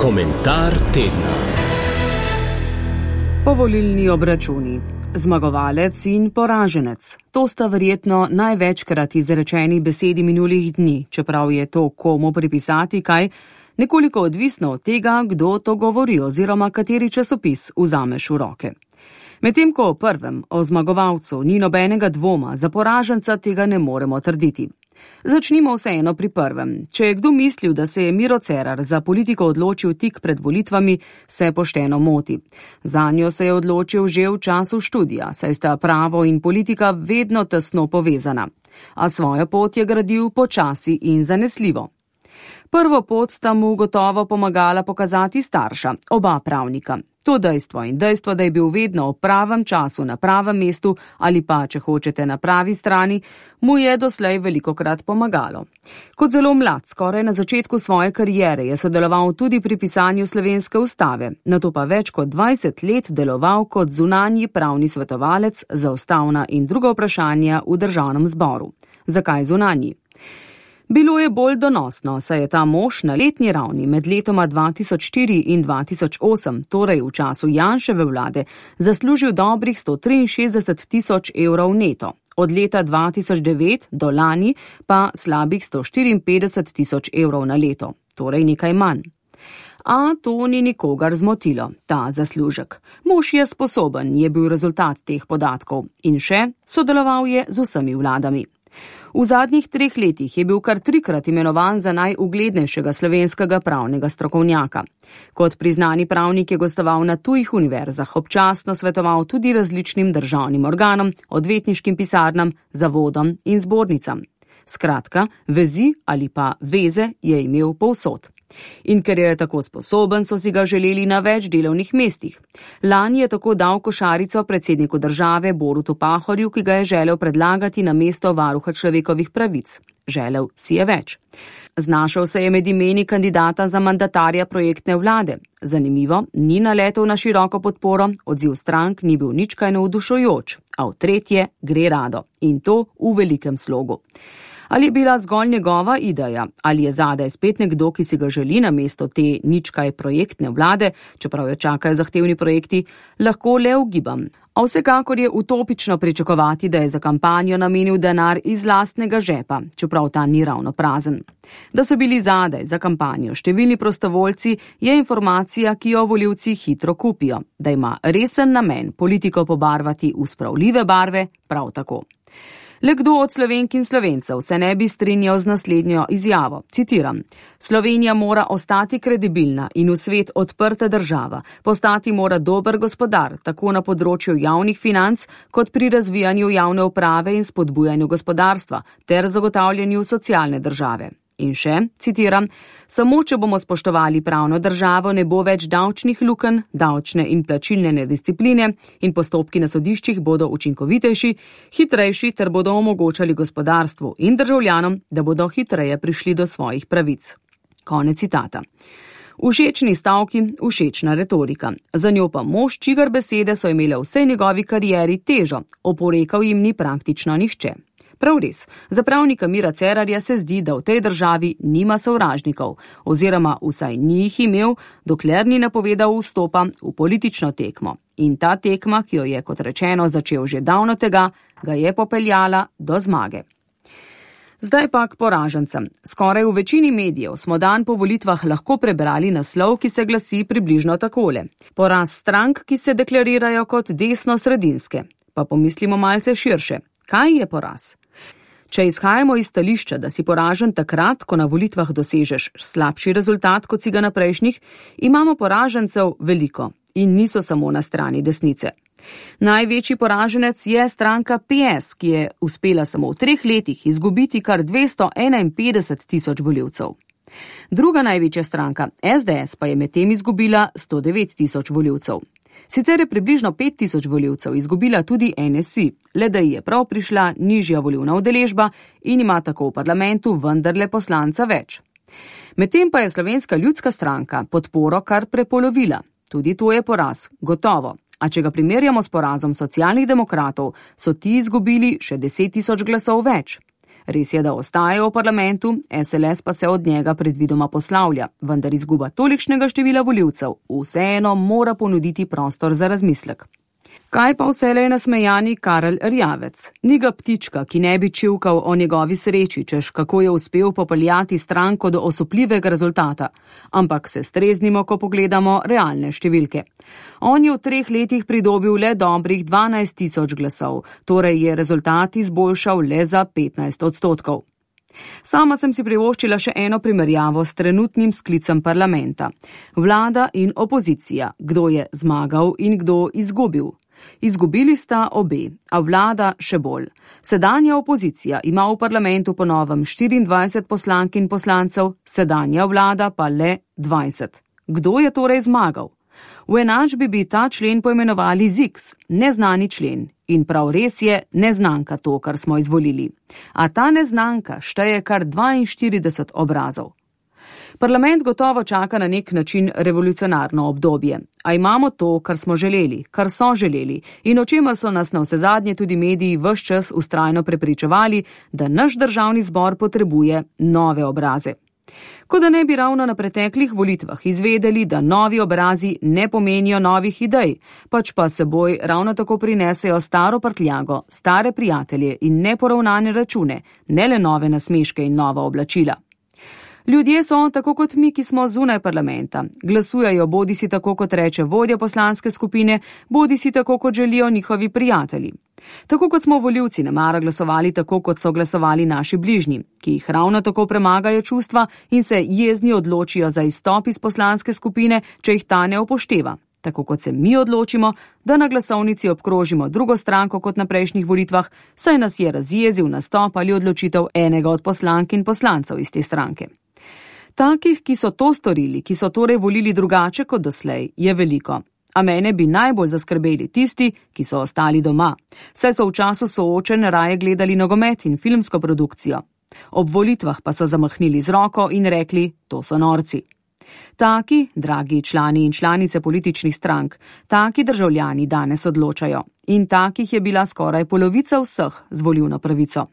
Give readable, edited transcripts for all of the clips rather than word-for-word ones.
Komentar tedna. Povolilni obračuni. Zmagovalec in poraženec. To sta verjetno največkrat izrečeni besedi minulih dni, čeprav je to komu pripisati kaj, nekoliko odvisno od tega, kdo to govori oziroma kateri časopis vzameš v roke. Medtem ko o prvem, o zmagovalcu, ni nobenega dvoma, za poraženca tega ne moremo trditi. Začnimo vseeno pri prvem. Če je kdo mislil, da se je Miro Cerar za politiko odločil tik pred volitvami, se pošteno moti. Zanjo se je odločil že v času študija, saj sta pravo in politika vedno tesno povezana. A svojo pot je gradil počasi in zanesljivo. Prvo pot sta mu gotovo pomagala pokazati starša, oba pravnika. To dejstvo in dejstvo, da je bil vedno v pravem času na pravem mestu ali pa, če hočete, na pravi strani, mu je doslej velikokrat pomagalo. Kot zelo mlad, skoraj na začetku svoje kariere, je sodeloval tudi pri pisanju slovenske ustave, nato pa več kot 20 let deloval kot zunanji pravni svetovalec za ustavna in druga vprašanja v državnem zboru. Zakaj zunanji? Bilo je bolj donosno, saj je ta mož na letni ravni med letoma 2004 in 2008, torej v času Janševe vlade, zaslužil dobrih 163 tisoč evrov neto. Od leta 2009 do lani pa slabih 154 tisoč evrov na leto, torej nekaj manj. A to ni nikogar zmotilo, ta zaslužek. Mož je sposoben, je bil rezultat teh podatkov in še sodeloval je z vsemi vladami. V zadnjih 3 letih je bil kar 3-krat imenovan za najuglednejšega slovenskega pravnega strokovnjaka. Kot priznani pravnik je gostoval na tujih univerzah, občasno svetoval tudi različnim državnim organom, odvetniškim pisarnam, zavodom in zbornicam. Skratka, vezi ali pa veze je imel povsod. In ker je tako sposoben, so si ga želeli na več delovnih mestih. Lani je tako dal košarico predsedniku države Borutu Pahorju, ki ga je želel predlagati na mesto varuha človekovih pravic. Želel si je več. Znašel se je med imeni kandidata za mandatarja projektne vlade. Zanimivo, ni naletel na široko podporo, odziv strank ni bil nič kaj navdušujoč, a v tretje gre rado. In to v velikem slogu. Ali je bila zgolj njegova ideja, ali je zadaj spet nekdo, ki si ga želi na mesto te ničkaj projektne vlade, čeprav jo čakajo zahtevni projekti, lahko le ugibam. A vsekakor je utopično pričakovati, da je za kampanjo namenil denar iz lastnega žepa, čeprav ta ni ravno prazen. Da so bili zadaj za kampanjo številni prostovoljci, je informacija, ki jo volivci hitro kupijo. Da ima resen namen politiko pobarvati v spravljive barve, prav tako. Le kdo od Slovenk in Slovencev se ne bi strinjal z naslednjo izjavo, citiram: Slovenija mora ostati kredibilna in v svet odprta država, postati mora dober gospodar, tako na področju javnih financ, kot pri razvijanju javne uprave in spodbujanju gospodarstva, ter zagotavljanju socialne države. In še, citiram, samo če bomo spoštovali pravno državo, ne bo več davčnih lukenj, davčne in plačilne nediscipline in postopki na sodiščih bodo učinkovitejši, hitrejši ter bodo omogočali gospodarstvu in državljanom, da bodo hitreje prišli do svojih pravic. Konec citata. Všečni stavki, všečna retorika. Za njo pa mož, čigar besede so imele vsej njegovi karieri težo, oporekal jim ni praktično nihče. Prav res, za pravnika Mira Cerarja se zdi, da v tej državi nima sovražnikov, oziroma vsaj ni jih imel, dokler ni napovedal vstopa v politično tekmo. In ta tekma, ki jo je, kot rečeno, začel že davno tega, ga je popeljala do zmage. Zdaj pa k poražencem. Skoraj v večini medijev smo dan po volitvah lahko prebrali naslov, ki se glasi približno takole: Poraz strank, ki se deklarirajo kot desno-sredinske. Pa pomislimo malce širše. Kaj je poraz? Če izhajamo iz stališča, da si poražen takrat, ko na volitvah dosežeš slabši rezultat, kot si ga na prejšnjih, imamo poražencev veliko in niso samo na strani desnice. Največji poraženec je stranka PS, ki je uspela samo v 3 letih izgubiti kar 251 tisoč volivcev. Druga največja stranka, SDS, pa je medtem izgubila 109 tisoč volivcev. Sicer je približno 5 tisoč volivcev izgubila tudi NSI, le da ji je prav prišla nižja volivna udeležba in ima tako v parlamentu vendarle poslanca več. Medtem pa je Slovenska ljudska stranka podporo kar prepolovila. Tudi to je poraz, gotovo. A če ga primerjamo s porazom socialnih demokratov, so ti izgubili še 10 tisoč glasov več. Res je, da ostaje v parlamentu, SLS pa se od njega predvidoma poslavlja, vendar izguba tolikšnega števila volivcev vseeno mora ponuditi prostor za razmislek. Kaj pa vselej nasmejani Karel Erjavec? Ni ga ptička, ki ne bi čivkal o njegovi sreči, češ kako je uspel popeljati stranko do osupljivega rezultata. Ampak se streznimo, ko pogledamo realne številke. On je v 3 letih pridobil le dobrih 12.000 glasov, torej je rezultat izboljšal le za 15%. Sama sem si privoščila še eno primerjavo s trenutnim sklicem parlamenta. Vlada in opozicija, kdo je zmagal in kdo izgubil. Izgubili sta obe, a vlada še bolj. Sedanja opozicija ima v parlamentu po novem 24 poslank in poslancev, sedanja vlada pa le 20. Kdo je torej zmagal? V enačbi bi ta člen poimenovali ZIX, neznani člen. In prav res je neznanka to, kar smo izvolili. A ta neznanka šteje kar 42 obrazov. Parlament gotovo čaka na nek način revolucionarno obdobje. A imamo to, kar smo želeli, kar so želeli in o čemer so nas navsezadnje tudi mediji ves čas vztrajno prepričevali, da naš državni zbor potrebuje nove obraze. Kot da ne bi ravno na preteklih volitvah izvedeli, da novi obrazi ne pomenijo novih idej, pač pa seboj ravno tako prinesejo staro prtljago, stare prijatelje in neporavnane račune, ne le nove nasmeške in nova oblačila. Ljudje so, tako kot mi, ki smo zunaj parlamenta, glasujejo bodisi tako, kot reče vodja poslanske skupine, bodisi tako, kot želijo njihovi prijatelji. Tako kot smo volivci nemara glasovali tako, kot so glasovali naši bližnji, ki jih ravno tako premagajo čustva in se jezni odločijo za izstop iz poslanske skupine, če jih ta ne upošteva. Tako kot se mi odločimo, da na glasovnici obkrožimo drugo stranko kot na prejšnjih volitvah, saj nas je razjezil nastop ali odločitev enega od poslank in poslancev iz te stranke. Takih, ki so to storili, ki so torej volili drugače kot doslej, je veliko. A mene bi najbolj zaskrbeli tisti, ki so ostali doma, saj so v času soočenj raje gledali nogomet in filmsko produkcijo. Ob volitvah pa so zamahnili z roko in rekli, to so norci. Taki, dragi člani in članice političnih strank, taki državljani danes odločajo in takih je bila skoraj polovica vseh z volilno pravico.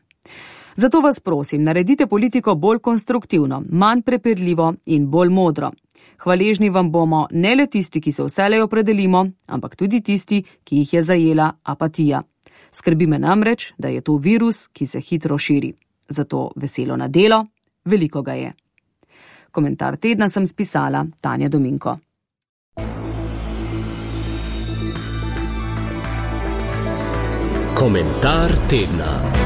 Zato vas prosim, naredite politiko bolj konstruktivno, manj prepirljivo in bolj modro. Hvaležni vam bomo ne le tisti, ki se vselej opredelimo, ampak tudi tisti, ki jih je zajela apatija. Skrbi me namreč, da je to virus, ki se hitro širi. Zato veselo na delo, veliko ga je. Komentar tedna sem spisala Tanja Dominko. Komentar tedna.